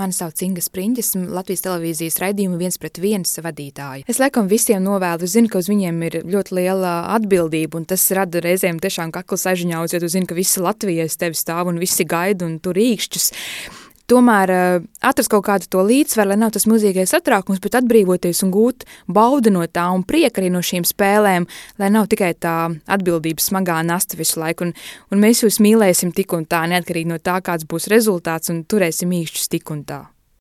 Mani sauc Inga Spriņģis, Latvijas televīzijas raidījuma 1:1 vadītāja. Es laikam visiem novēlu, zinu, ka uz viņiem ir ļoti liela atbildība, un tas rada reizēm tiešām kakla sažiņauts, jo tu zini, ka visi Latvijas tevi stāv un visi gaida un tur rīkšķus. Tomēr atrast kaut kādu to līdzsvaru, lai nav tas milzīgais satraukums, bet atbrīvoties un gūt baudu no tā un prieku arī no šīm spēlēm, lai nav tikai tā atbildības smagā nasta visu laiku. Un mēs jūs mīlēsim tik un tā, neatkarīgi no tā, kāds būs rezultāts, un turēsim īkšķus tik un tā.